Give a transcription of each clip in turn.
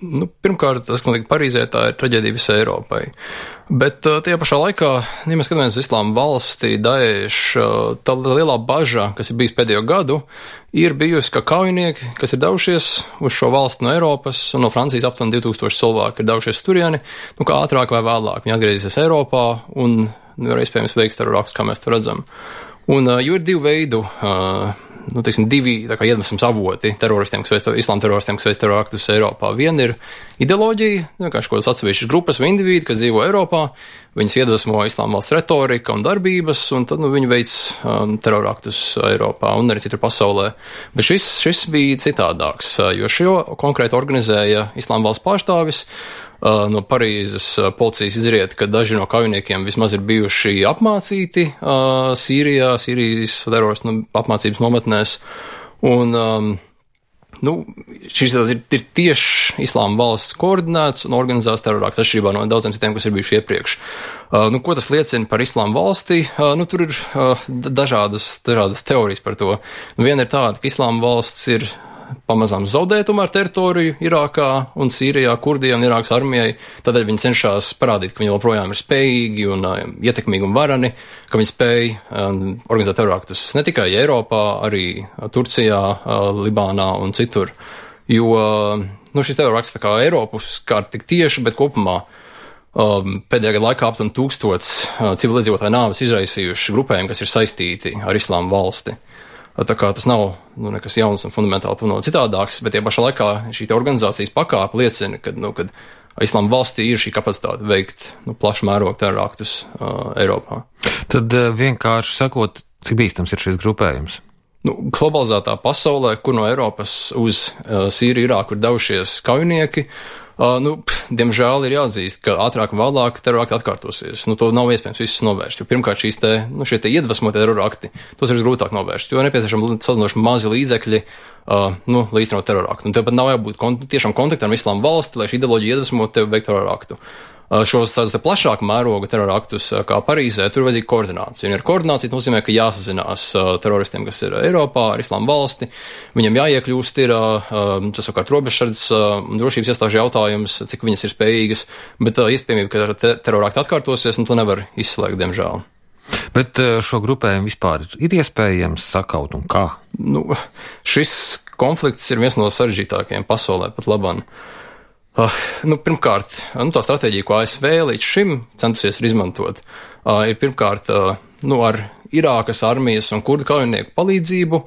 Pirmkārt, tas, ka Parīzē tā ir traģēdija visai Eiropai. Bet tajā pašā laikā, ja mēs skatāmies uz Islāma valsti, Daesh, tā lielā baža, kas ir bijis pēdējo gadu, ir bijusi, ka kaujinieki, kas ir devušies uz šo valsti no Eiropas un no Francijas aptuveni 2000 cilvēki ir devušies turieni, kā ātrāk vai vēlāk viņi atgriezīsies Eiropā un ir iespējams veiks terroraktus, kā mēs to redzam. Un jo ir divu veidu, divi iedvesmas avoti teroristiem, islāma teroristiem, kas veic terroraktus Eiropā. Viena ir ideoloģija, vienkārši kaut kādas atsevišķas grupas vai indivīdi, kas dzīvo Eiropā, viņus iedvesmo islāma valsts retorika un darbības, un tad viņi veic teroraktus Eiropā un arī citur pasaulē. Bet šis bija citādāks, jo šo konkrēti organizēja islāma valsts pārstāvis. No Parīzes policijas izriet, ka daži no kaujiniekiem vismaz ir bijuši apmācīti Sīrijas teroristu apmācības nometnēs. Un šis ir tieši islāma valsts koordinēts un organizēts terrorakts atšķirībā no daudziem citiem, kas ir bijuši iepriekš. Ko tas liecina par islāma valsti? Tur ir dažādas teorijas par to. Viena ir tāda, ka islāma valsts ir pamazām zaudē tomēr teritoriju Irākā un Sīrijā, Kurdiem un Irākas armijai. Tādēļ viņi cenšas parādīt, ka viņi joprojām ir spējīgi un ietekmīgi un varani, ka viņi spēj organizēt teroraktus ne tikai Eiropā, arī Turcijā, Libānā un citur. Jo šis terorakts tā kā Eiropu skārt tik tieši, bet kopumā pēdējā gada laikā aptuveni 1000 civiliedzīvotāju nāves izraisījuši grupējumi, kas ir saistīti ar islāma valsti. Tā kā tas nav nekas jauns un fundamentāli citādāks, bet tie pašā laikā šī organizācijas pakāpe liecina, ka islāma valstī ir šī kapacitāte veikt plašu mērogu teroraktus Eiropā. Tad vienkārši sakot, cik bīstams ir šis grupējums? Globalizētā pasaulē, kur no Eiropas uz Sīriju, Irāku ir devušies kaujinieki, diemžēl ir jāatzīst, ka ātrāk un vēlāk terorakti atkārtosies. To nav iespējams visus novērst, jo pirmkārt šie iedvesmotie terorakti, tos ir grūtāk novērst, jo nepieciešami salīdzinoši mazi līdzekļi, lai īstenot teroraktu. Un tev pat nav jābūt tiešām kontaktā ar islāma valsti, lai šī ideoloģija iedvesmot tevi veikt teroraktu. Šos plašāku mēroga teroraktus, kā Parīzē, tur ir vajadzīga koordinācija. Un ar koordināciju nozīmē, ka jāsazinās teroristiem, kas ir Eiropā, ar islāma valsti. Viņam jāiekļūst ir, tas savukārt robežsardzes un drošības iestāžu jautājums, cik viņas ir spējīgas, bet iespējamība, ka terorakti atkārtosies, to nevar izslēgt, diemžēl. Bet šo grupējumu vispār ir iespējams sakaut un kā? Šis konflikts ir viens no sarežģītākajiem pasaulē pat labam. Pirmkārt, tā stratēģija, ko ASV līdz šim centusies izmantot, ir pirmkārt ar Irākas armijas un kurdu kaujinieku palīdzību,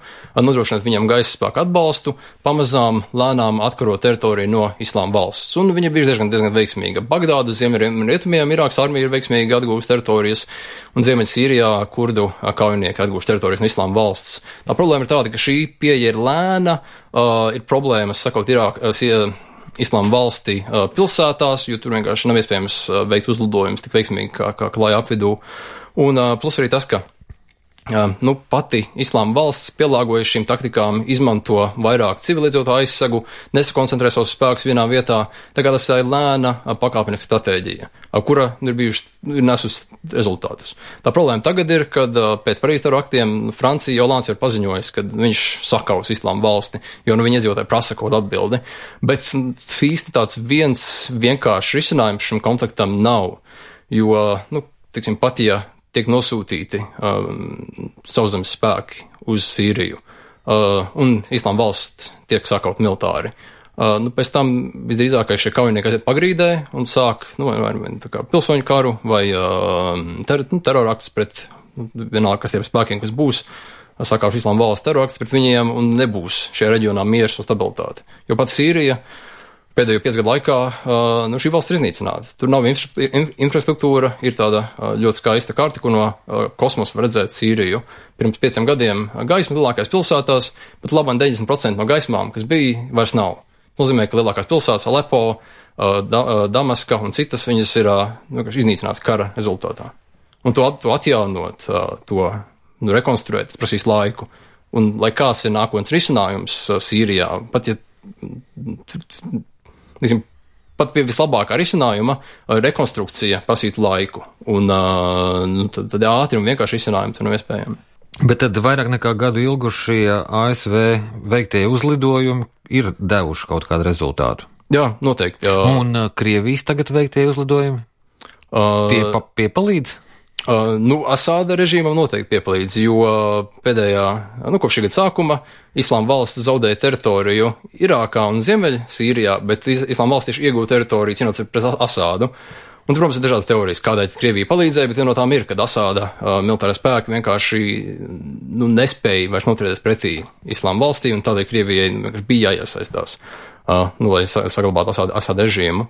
nodrošināt viņam gaisa spēku atbalstu, pamazām lēnām atkarot teritoriju no islāma valsts. Un viņa bija diezgan veiksmīga. Bagdādu ziemeļrietumiem Irākas armija ir veiksmīgi atgūst teritorijas, un Ziemeļsīrijā kurdu kaujinieki atgūst teritorijas no islāma valsts. Tā problēma ir tāda, ka šī pieeja ir lēna, ir problēmas sakot islāma valstī pilsētās, jo tur vienkārši nav iespējams veikt uzlidojumus tik veiksmīgi kā klāja apvidū. Un plus arī tas, ka pati islāma valsts pielāgojas šīm taktikām, izmanto vairāk civiliedzīvotāju aizsegu, nesakoncentrē savus spēkus vienā vietā. Tā kā tas ir lēna pakāpeniska stratēģija, kura ir nesus rezultātus. Tā problēma tagad ir, kad pēc Parīzes teroraktiem Francija Ollands ir paziņojis, ka viņš sakaus islāma valsti, jo viņi iedzīvotāji prasa kaut atbildi. Bet īsti tāds viens vienkāršs risinājums šim konfliktam nav, jo, pat ja tiek nosūtīti sauszemes spēki uz Sīriju, un islāma valsts tiek sakaut militāri. Pēc tam visdrīzākais šie kaujinieki aiziet pagrīdē un sāk vai pilsoņu karu vai teroraktus pret vienalga, kas tiem spēkiem, kas būs, sakauši islāma valsts teroraktus pret viņiem un nebūs šajā reģionā miers un stabilitāte. Jo pat Sīrija pēdējo 5 gadu laikā šī valsts ir iznīcināta. Tur nav infrastruktūra, ir tāda ļoti skaista karte, kur no kosmosa var redzēt Sīriju. Pirms 5 gadiem gaisma lielākās pilsētās, bet labāk 90% no gaismām, kas bija, vairs nav. Nozīmē, ka lielākās pilsētas, Alepo, Damaska un citas, viņas ir iznīcināts kara rezultātā. Un to atjaunot, to rekonstruēt, tas prasīs laiku. Un lai kāds ir nākotnes risinājums Sīrijā, pat ja pat pie vislabākā risinājuma rekonstrukcija prasītu laiku, un tad ātri un vienkārši risinājumi tur nav iespējami. Bet tad vairāk nekā gadu ilgušie ASV veiktie uzlidojumi ir devuši kaut kādu rezultātu? Jā, noteikti. Un Krievijas tagad veiktie uzlidojumi? Tie piepalīdz? Asāda režīmam noteikti piepalīdz, jo pēdējā, kopš šī gada sākuma Islāma valsts zaudēja teritoriju Irākā un Ziemeļ Sīrijā, bet Islāma valsts tieši iegūta teritoriju cīnoties pret Asādu. Un, protams, ir dažādas teorijas, kādēļ Krievija palīdzēja, bet viena no tām ir, kad Asāda militārie spēki vienkārši nespēja vairs noturēties pretī Islāma valstī, un tādēļ Krievijai bija jāiesaistās, lai saglabātu Asāda režīmu.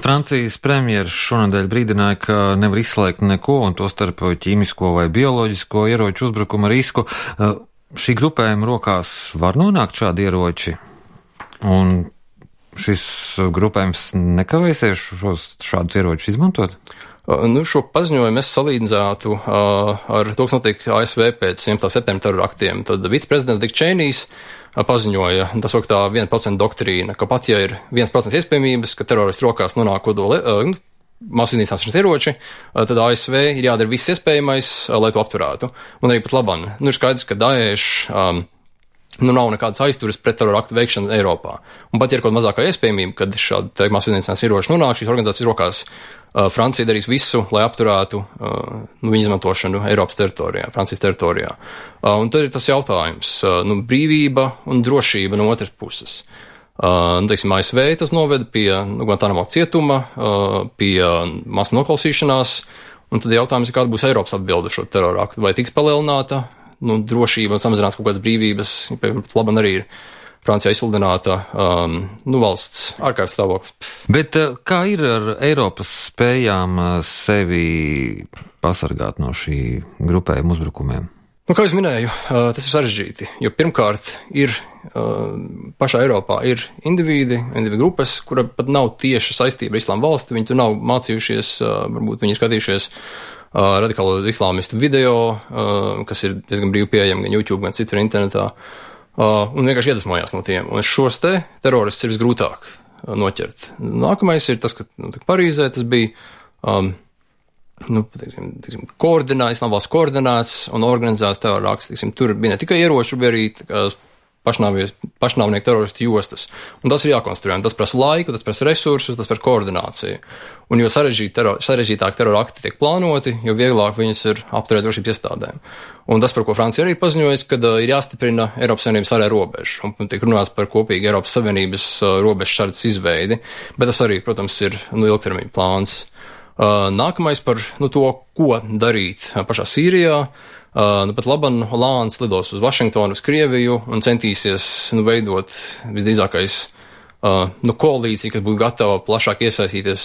Francijas premjeras šonadēļ brīdināja, ka nevar izslēgt neko, un to starp ķīmisko vai bioloģisko ieroču uzbrukuma risku. Šī grupējuma rokās var nonākt šādi ieroči, un šis grupējums nekavēsies šādus ieročus izmantot? Šo paziņojumu es salīdzinātu ar to, kas notiek ASV pēc 11. septembra terora aktiem. Tad viceprezidents Diks Čeinijs paziņoja, tas ir tā 1% doktrīna, ka pat ja ir 1% iespējamības, ka teroristu rokās nonāk kodola masu iznīcināšanas ieroči, tad ASV ir jādara viss iespējamais, lai to apturētu. Un arī pat labam. Ir skaidrs, ka Daesh nav nekādas aizturas pret terora aktu veikšanu Eiropā. Un pat ja ir kaut mazākā iespējamība, kad šādi masu iznīcināšanas ieroči nonāk šīs organizācijas rokās, Francija darīs visu, lai apturētu viņu izmantošanu Eiropas teritorijā, Francijas teritorijā. Un tad ir tas jautājums, brīvība un drošība no otras puses. ASV tas noveda pie Guantanamo cietuma, pie masu noklausīšanās, un tad jautājums ir, kāda būs Eiropas atbilde šo terora aktu, vai tiks palielināta drošība un samazinās kaut kādas brīvības, labi arī ir Francijā izsludināta valsts ārkārtas stāvoklis. Bet kā ir ar Eiropas spējām sevi pasargāt no šī grupējuma uzbrukumiem? Kā es minēju, tas ir sarežģīti, jo pirmkārt ir pašā Eiropā ir individi grupas, kura pat nav tieši saistība ar Islāma valsti, viņi tur nav mācījušies, varbūt viņi skatījušies radikālo islāmistu video, kas ir diezgan brīvi pieejami gan YouTube, gan citur internetā. Un vienkārši iedvesmojās no tiem. Un šos teroristus ir visgrūtāk noķert. Nākamais ir tas, ka Parīzē tas bija Islāma valsts koordinēts un organizēts terora akts. Tur bija ne tikai ieroči, bija arī pašnāvnieku teroristu jostas. Un tas ir jākonstruē. Tas prasa laiku, tas prasa resursus, tas prasa koordināciju. Un jo sarežģītāk terora akti tiek plānoti, jo vieglāk viņus ir apturēt drošības iestādēm. Un tas, par ko Francija arī paziņojas, kad ir jāstiprina Eiropas Savienības ārējā robeža. Un tiek runāts par kopīgu Eiropas Savienības robežu sardzes izveidi. Bet tas arī, protams, ir ilgtermiņa plāns. Nākamais par to, ko darīt pašā Sīrijā. Pat labam Hollands lidos uz Vašingtonu, uz Krieviju un centīsies veidot visdrīzākais koalīciju, kas būtu gatava plašāk iesaistīties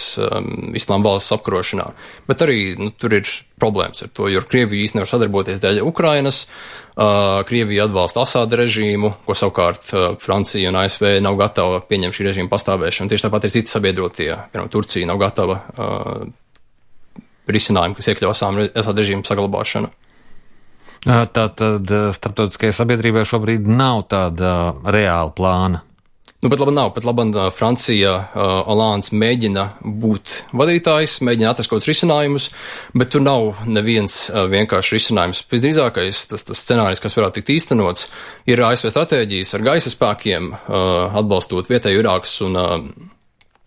Islāma valsts apkarošanā. Bet arī tur ir problēmas ar to, jo Krievija īsti nevar sadarboties dēļ Ukrainas. Krievija atbalsta Asāda režīmu, ko savukārt Francija un ASV nav gatava pieņemt šī režīma pastāvēšanu. Tieši tāpat ir citi sabiedrotie, piemēram, Turcija nav gatava risinājumu, kas iekļauj Asāda režīmu saglabāšanu. Tātad starptautiskajai sabiedrībai šobrīd nav tāda reāla plāna. Pat labi, Francija, Hollands mēģina būt vadītājs, mēģina atrast kaut kādus risinājumus, bet tur nav neviens vienkārši risinājums. Visdrīzākais tas scenārijs, kas varētu tikt īstenots, ir ASV stratēģijas ar gaisa spēkiem, atbalstot vietēju Irākas un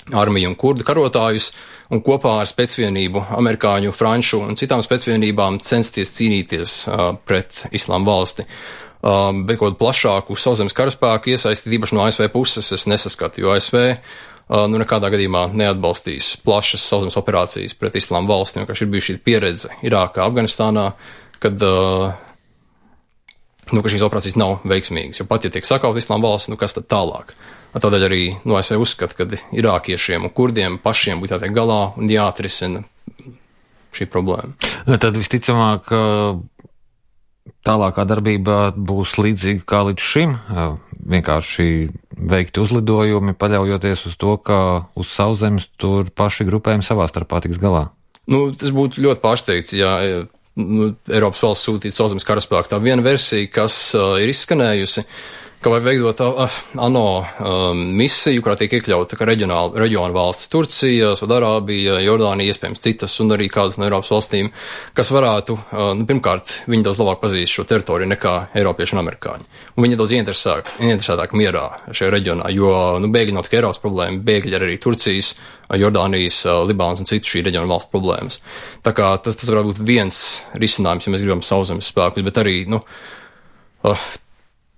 armiju un kurdu karotājus, un kopā ar spēcvienību, amerikāņu, franču un citām spēcvienībām censties cīnīties pret Islāma valsti. Bet kaut plašāku sauszemes karaspēku iesaistīt īpaši no ASV puses es nesaskatu, jo ASV nekādā gadījumā neatbalstīs plašas sauszemes operācijas pret Islāma valsti, jo ir bijusi šī pieredze Irākā, Afganistānā, kad ka šīs operācijas nav veiksmīgas, jo pat ja tiek sakaut Islāma valsts, kas tad tālāk? Tādēļ arī ASV uzskata, ka irākiešiem un kurdiem pašiem būtu jātiek galā un jāatrisina šī problēma. Tad visticamāk tālākā darbība būs līdzīga kā līdz šim, vienkārši veikti uzlidojumi, paļaujoties uz to, ka uz sauszemes tur paši grupējumi savā starpā tiks galā. Tas būtu ļoti pārsteigts, ja Eiropas valsts sūtītu sauszemes karaspēku. Tā viena versija, kas ir izskanējusi, ka vai veidot ANO misiju, kurā tiek iekļauta reģiona valsts Turcija, Saudārābija, Jordānija, iespējams citas un arī kādas no Eiropas valstīm, kas varētu, pirmkārt, viņi daudz labāk pazīst šo teritoriju nekā Eiropieši un amerikāņi. Un viņi daudz ieinteresētāk mierā šajā reģionā, jo bēgļi nav tikai Eiropas problēma, bēgļi arī Turcijas, Jordānijas, Libānas un citu šī reģiona valstu problēmas. Tā kā tas varētu būt viens risinājums, ja mēs gribam sauszemes spēkus, bet arī,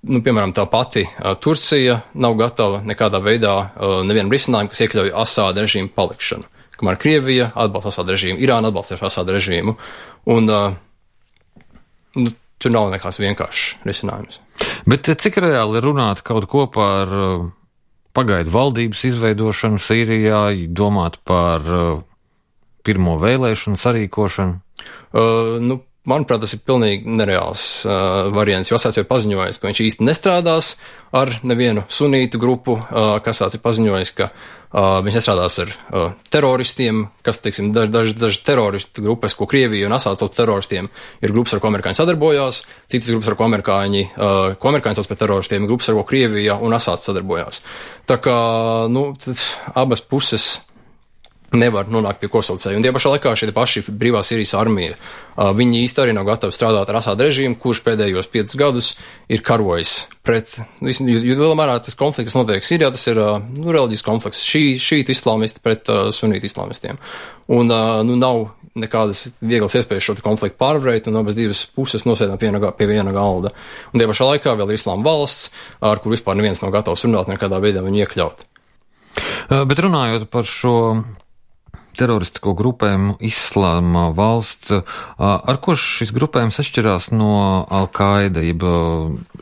piemēram, tā pati Turcija nav gatava nekādā veidā nevienam risinājumu, kas iekļauj Asāda režīmu palikšanu. Kamēr Krievija atbalsta Asāda režīmu, Irāna atbalsta Asāda režīmu, un tur nav nekāds vienkāršs risinājums. Bet cik reāli runāt kaut ko par pagaidu valdības izveidošanu Sīrijā, domāt par pirmo vēlēšanu sarīkošanu? Manuprāt, tas ir pilnīgi nereāls variants, jo Asāds jau paziņojis, ka viņš īsti nestrādās ar nevienu sunītu grupu, kas Asāds ir paziņojis, ka viņš nestrādās ar teroristiem, kas, teiksim, daži teroristu grupas, ko Krievija un Asāds sauc teroristiem, ir grupas, ar ko amerikāņi sadarbojās, citas grupas, ar ko amerikāņi sauc par teroristiem, ir grupas, ar ko Krievija un Asāds sadarbojās. Tā kā, abas puses nevar nonākt pie kopsaucēja. Un tie pašā laikā šie paši brīvā Sīrijas armija, viņi īsti arī nav gatavi strādāt ar Asāda režīmu, kurš pēdējos 5 gadus ir karojis pret, jo lielā mērā tas konflikts, kas notiek Sīrijā, tas ir reliģisks konflikts, šītu islāmisti pret sunītu islāmistiem. Un nav nekādas vieglas iespējas šo konfliktu pārvarēt, un abas divas puses nosēdām pie viena galda. Un tie pašā laikā vēl ir Islāma valsts, ar kur vispār neviens nav gatavs runāt, nekādā veidā viņu iekļaut. Bet runājot par šo teroristisko grupējumu Islāma valsts, ar ko šis grupējums atšķirās no Al-Qaida, jeb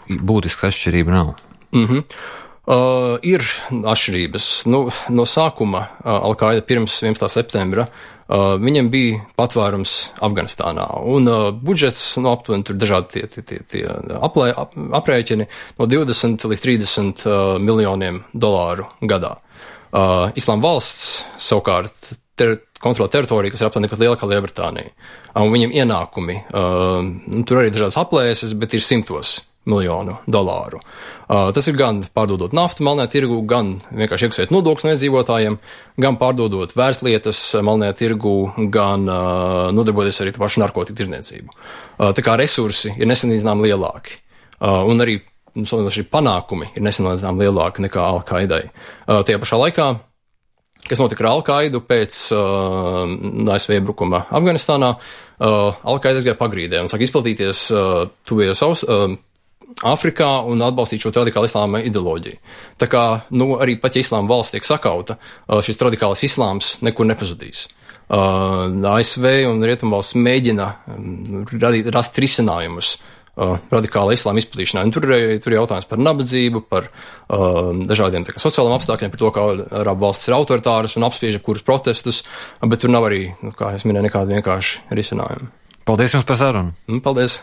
būtiska atšķirība nav? Ir atšķirības. No sākuma Al-Qaida pirms 11. septembra viņam bija patvērums Afganistānā, un budžets, aptuveni tur dažādi tie aprēķini no 20 līdz 30 miljoniem dolāru gadā. Islāma valsts savukārt kontrolē teritoriju, kas ir aptuveni pat lielākā Lielbritānija. Un viņiem ienākumi, tur arī dažādas aplēses, bet ir 100 miljonu dolāru. Tas ir gan pārdodot naftu melnajā tirgu, gan vienkārši iekasēt nodokļus no iedzīvotājiem, gan pārdodot vērtslietas melnajā tirgu, gan nodarboties arī pašu narkotiku tirdzniecību. Tā kā resursi ir nesalīdzināmi lielāki. Un arī šī panākumi ir nesalīdzināmi lielāki nekā Al-Qaidai. Tajā pašā laikā, kas notika ar Al-Qaidu pēc ASV iebrukuma Afganistānā, Al-Qaida aizgāja pagrīdē un sāk izplatīties tuvējos Āfrikā un atbalstīt šo radikālu islāma ideoloģiju. Tā kā, arī pat ja islāma valsts tiek sakauta, šis radikālais islāms nekur nepazudīs. ASV un Rietumvalsts mēģina rast risinājumus radikāla islāma izplatīšanai. Un tur ir jautājums par nabadzību, par dažādiem sociāliem apstākļiem, par to, kā arabu valstis ir autoritāras un apspiež kurus protestus, bet tur nav arī, kā es minēju, nekāda vienkārši risinājuma. Paldies jums par sarunu. Paldies.